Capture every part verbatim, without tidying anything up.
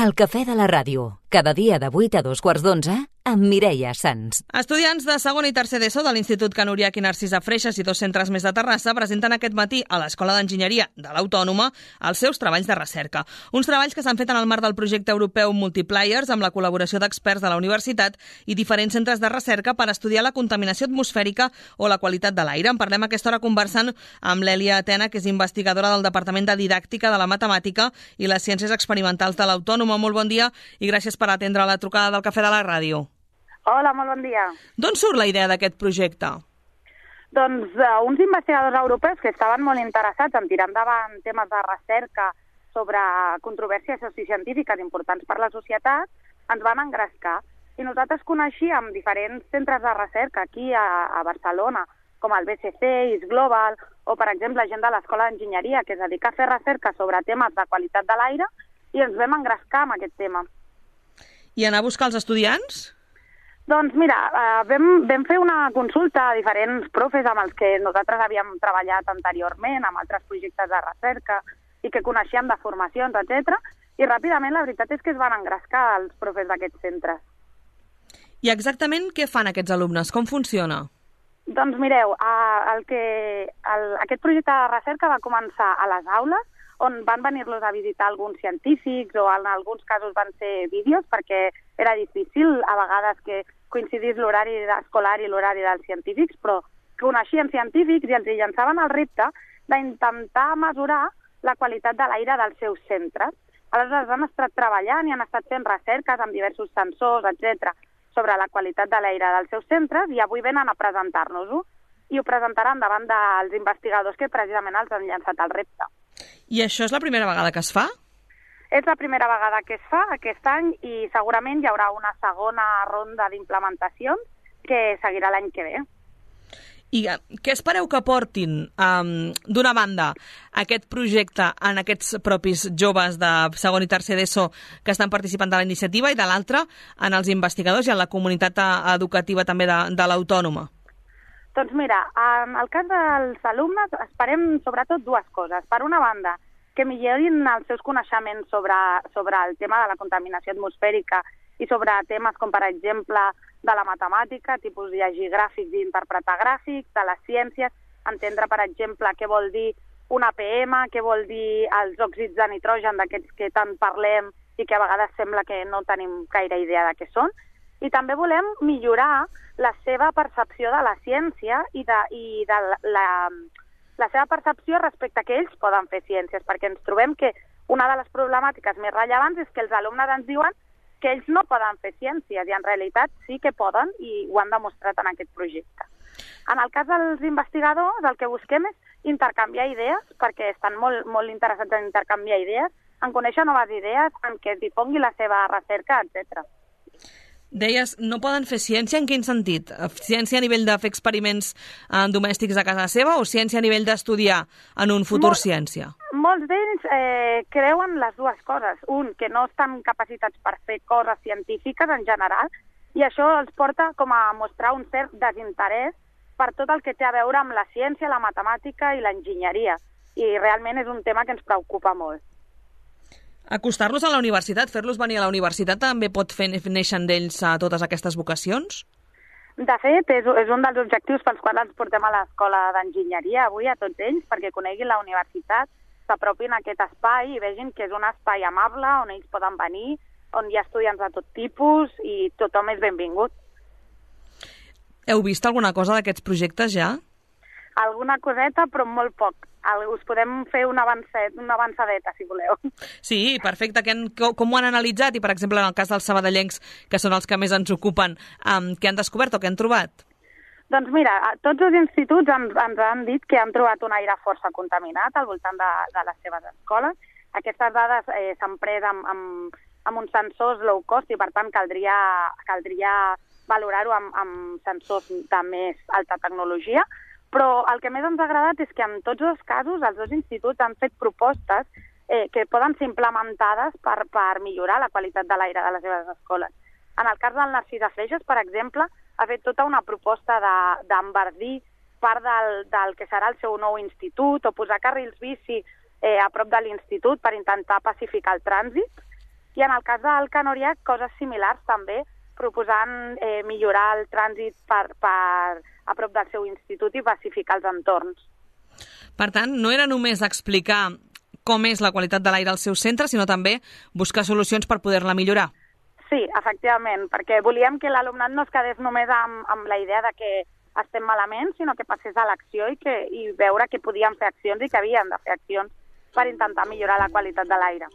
El cafè de la ràdio, cada dia de vuit a dos quarts d'onze, amb Mireia Sans. Estudiants de segon i tercer d'ESO de l'Institut Can Uriach i Narcisa Freixas i dos centres més de Terrassa presenten aquest matí a l'Escola d'Enginyeria de l'Autònoma els seus treballs de recerca. Uns treballs que s'han fet en el marc del projecte europeu Multipliers amb la col·laboració d'experts de la universitat i diferents centres de recerca per estudiar la contaminació atmosfèrica o la qualitat de l'aire. En parlem a aquesta hora conversant amb l'Èlia Atena, que és investigadora del Departament de Didàctica de la Matemàtica i les Ciències Experimentals de l'Autònoma. Molt bon dia i gràcies per atendre la trucada del Cafè de la Ràdio. Hola, molt bon dia. D'on surt la idea d'aquest projecte? Doncs uh, uns investigadors europeus que estaven molt interessats en tirar endavant temes de recerca sobre controvèrsies sociocientífiques importants per la societat ens van engrescar. I nosaltres coneixíem diferents centres de recerca aquí a, a Barcelona, com el B C C, I S Global, o, per exemple, gent de l'Escola d'Enginyeria, que es dedica a fer recerca sobre temes de qualitat de l'aire, i ens vam engrescar amb aquest tema. I anar a buscar els estudiants? Doncs mira, eh, vam, vam fer una consulta a diferents profes amb els que nosaltres havíem treballat anteriorment, amb altres projectes de recerca i que coneixíem de formacions, etcètera. I ràpidament la veritat és que es van engrescar els profes d'aquests centres. I exactament què fan aquests alumnes? Com funciona? Doncs mireu, eh, el que, el, aquest projecte de recerca va començar a les aules, on van venir-los a visitar alguns científics o en alguns casos van ser vídeos perquè era difícil a vegades que coincidís l'horari escolar i l'horari dels científics, però coneixien científics i els llançaven el repte d'intentar mesurar la qualitat de l'aire dels seus centres. Aleshores han estat treballant i han estat fent recerques amb diversos sensors, etcètera, sobre la qualitat de l'aire dels seus centres i avui venen a presentar-nos-ho i ho presentaran davant dels investigadors que precisament els han llançat el repte. I això és la primera vegada que es fa? És la primera vegada que es fa aquest any i segurament hi haurà una segona ronda d'implementacions que seguirà l'any que ve. I què espereu que portin, um, d'una banda, aquest projecte en aquests propis joves de segon i tercer d'ESO que estan participant de la iniciativa i de l'altra en els investigadors i en la comunitat educativa també de, de l'Autònoma? Doncs mira, en el cas dels alumnes esperem sobretot dues coses. Per una banda, que millorin els seus coneixements sobre, sobre el tema de la contaminació atmosfèrica i sobre temes com, per exemple, de la matemàtica, tipus llegir gràfics i interpretar gràfics, de les ciències, entendre, per exemple, què vol dir una P M, què vol dir els òxids de nitrogen d'aquests que tant parlem i que a vegades sembla que no tenim gaire idea de què són. I també volem millorar la seva percepció de la ciència i de, i de la, la, la seva percepció respecte a que ells poden fer ciències, perquè ens trobem que una de les problemàtiques més rellevants és que els alumnes ens diuen que ells no poden fer ciències i en realitat sí que poden i ho han demostrat en aquest projecte. En el cas dels investigadors el que busquem és intercanviar idees perquè estan molt, molt interessats en intercanviar idees, en conèixer noves idees, en què es difongui la seva recerca, etcètera. Deies, no poden fer ciència en quin sentit? Ciència a nivell de fer experiments eh, domèstics a casa seva o ciència a nivell d'estudiar en un futur Mol, ciència? Molts d'ells eh, creuen les dues coses. Un, que no estan capacitats per fer coses científiques en general i això els porta com a mostrar un cert desinterès per tot el que té a veure amb la ciència, la matemàtica i l'enginyeria. I realment és un tema que ens preocupa molt. Acostar-los a la universitat, fer-los venir a la universitat també pot fer néixer d'ells a totes aquestes vocacions? De fet, és, és un dels objectius pels quals ens portem a l'Escola d'Enginyeria avui a tots ells, perquè coneguin la universitat, s'apropin a aquest espai i vegin que és un espai amable on ells poden venir, on hi ha estudiants de tot tipus i tothom és benvingut. Heu vist alguna cosa d'aquests projectes ja? Alguna coseta, però molt poc. Us podem fer una, avancet, una avançadeta, si voleu. Sí, perfecte. Que han, com ho han analitzat? I, per exemple, en el cas dels sabadellencs, que són els que més ens ocupen, um, què han descobert o què han trobat? Doncs mira, tots els instituts ens, ens han dit que han trobat un aire força contaminat al voltant de, de les seves escoles. Aquestes dades eh, s'han pres amb, amb, amb uns sensors low cost i, per tant, caldria, caldria valorar-ho amb, amb sensors de més alta tecnologia. Però el que més ens ha agradat és que en tots dos casos els dos instituts han fet propostes eh, que poden ser implementades per, per millorar la qualitat de l'aire de les seves escoles. En el cas del Narcisa Freixas, per exemple, ha fet tota una proposta d'enverdir part del, del que serà el seu nou institut o posar carrils bici eh, a prop de l'institut per intentar pacificar el trànsit. I en el cas del Canoriac, coses similars també, proposant eh, millorar el trànsit per, per, a prop del seu institut i pacificar els entorns. Per tant, no era només explicar com és la qualitat de l'aire al seu centre, sinó també buscar solucions per poder-la millorar. Sí, efectivament, perquè volíem que l'alumnat no es quedés només amb, amb la idea de que estem malament, sinó que passés a l'acció i, que, i veure que podíem fer accions i que havíem de fer accions per intentar millorar la qualitat de l'aire.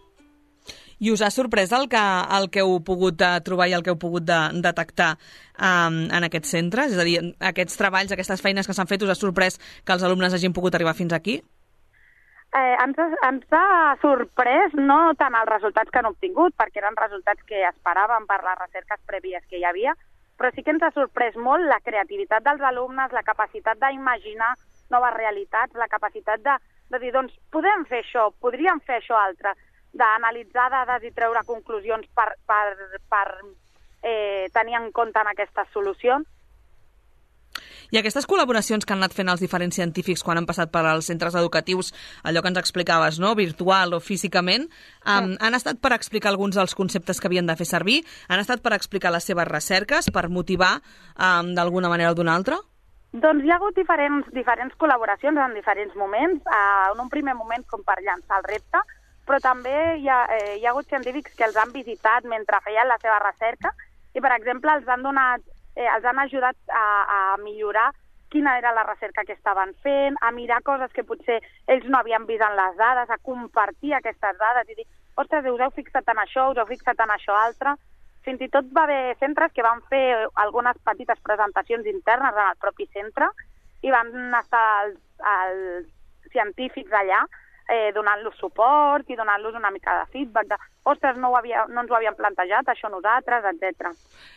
I us ha sorprès el que, el que heu pogut uh, trobar i el que heu pogut de, detectar um, en aquests centres? És a dir, aquests treballs, aquestes feines que s'han fet, us ha sorprès que els alumnes hagin pogut arribar fins aquí? Eh, ens, ens ha sorprès no tant els resultats que han obtingut, perquè eren resultats que esperàvem per les recerques prèvies que hi havia, però sí que ens ha sorprès molt la creativitat dels alumnes, la capacitat d'imaginar noves realitats, la capacitat de, de dir, doncs, podem fer això, podríem fer això altre, d'analitzar dades i treure conclusions per, per, per eh, tenir en compte en aquestes solucions. I aquestes col·laboracions que han anat fent els diferents científics quan han passat per als centres educatius, allò que ens explicaves, no?, virtual o físicament, um, sí. han estat per explicar alguns dels conceptes que havien de fer servir? Han estat per explicar les seves recerques, per motivar um, d'alguna manera o d'una altra? Doncs hi ha hagut diferents, diferents col·laboracions en diferents moments. Uh, en un primer moment com per llançar el repte, però també hi ha, eh, hi ha hagut científics que els han visitat mentre feien la seva recerca i, per exemple, els han, donat, eh, els han ajudat a, a millorar quina era la recerca que estaven fent, a mirar coses que potser ells no havien vist en les dades, a compartir aquestes dades i dir, ostres, us heu fixat en això, us heu fixat en això altre. Fins i tot va haver centres que van fer algunes petites presentacions internes en el propi centre i van estar els, els científics allà Eh, donant-los suport i donant-los una mica de feedback de, ostres, no, ho havia, no ens ho havíem plantejat, això nosaltres, etcètera.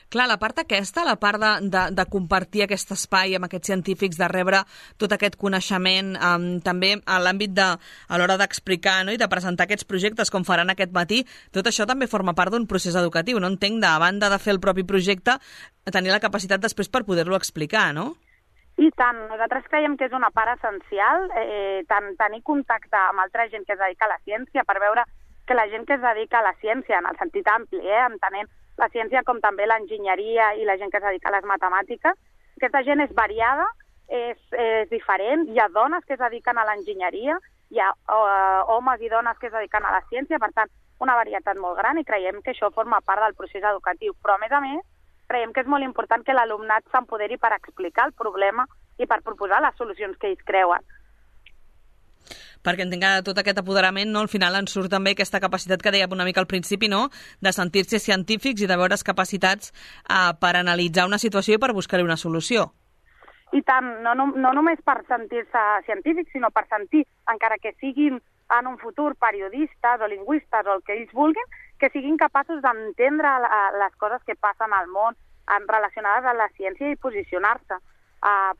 Clar, la part aquesta, la part de, de, de compartir aquest espai amb aquests científics, de rebre tot aquest coneixement, um, també a l'àmbit de, a l'hora d'explicar, no?, i de presentar aquests projectes com faran aquest matí, tot això també forma part d'un procés educatiu. No entenc, de, a banda de fer el propi projecte, tenir la capacitat després per poder-lo explicar, no? I tant, nosaltres creiem que és una part essencial, eh, tant tenir contacte amb altra gent que es dedica a la ciència per veure que la gent que es dedica a la ciència, en el sentit ampli, eh, entenent la ciència com també l'enginyeria i la gent que es dedica a les matemàtiques, aquesta gent és variada, és, és diferent, hi ha dones que es dediquen a l'enginyeria, hi ha uh, homes i dones que es dediquen a la ciència, per tant, una varietat molt gran i creiem que això forma part del procés educatiu. Però, a més a més, creiem que és molt important que l'alumnat s'empoderi per explicar el problema i per proposar les solucions que ells creuen. Perquè entenc que tot aquest apoderament, no, al final ens surt també aquesta capacitat que dèiem una mica al principi, no?, de sentir-se científics i de veure's capacitats eh, per analitzar una situació i per buscar-hi una solució. I tant, no, no, no només per sentir-se científics, sinó per sentir, encara que siguin en un futur periodistes o lingüistes o el que ells vulguin, que siguin capaços d'entendre les coses que passen al món relacionades amb la ciència i posicionar-se. Uh,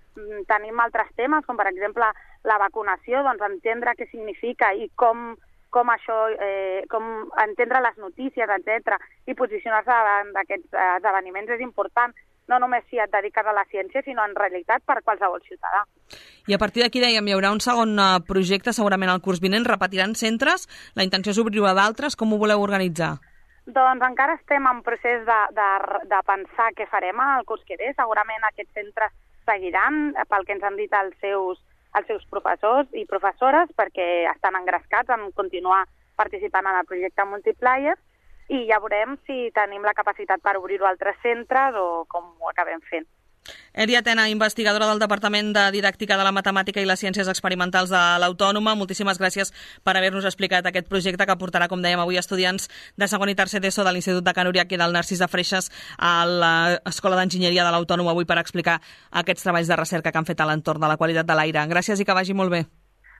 tenim altres temes, com per exemple la vacunació, doncs entendre què significa i com, com això, eh, com entendre les notícies, etcètera, i posicionar-se davant d'aquests esdeveniments és important, no només si et dediques a la ciència, sinó en realitat per qualsevol ciutadà. I a partir d'aquí, dèiem, hi haurà un segon projecte segurament al curs vinent, repetiran centres, la intenció és obrir-ho a d'altres, com ho voleu organitzar? Doncs encara estem en procés de, de, de pensar què farem el curs que ve. Segurament aquests centres seguiran, pel que ens han dit els seus, els seus professors i professores, perquè estan engrescats en continuar participant en el projecte Multiplier, i ja veurem si tenim la capacitat per obrir-ho a altres centres o com ho acabem fent. Èlia Tena, investigadora del Departament de Didàctica de la Matemàtica i les Ciències Experimentals de l'Autònoma, moltíssimes gràcies per haver-nos explicat aquest projecte que portarà, com dèiem avui, estudiants de segon i tercer d'ESO de l'Institut de Can Uriach i del Narcís de Freixes a l'Escola d'Enginyeria de l'Autònoma avui per explicar aquests treballs de recerca que han fet a l'entorn de la qualitat de l'aire. Gràcies i que vagi molt bé.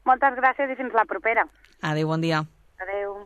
Moltes gràcies i fins la propera. Adéu, bon dia. Adéu.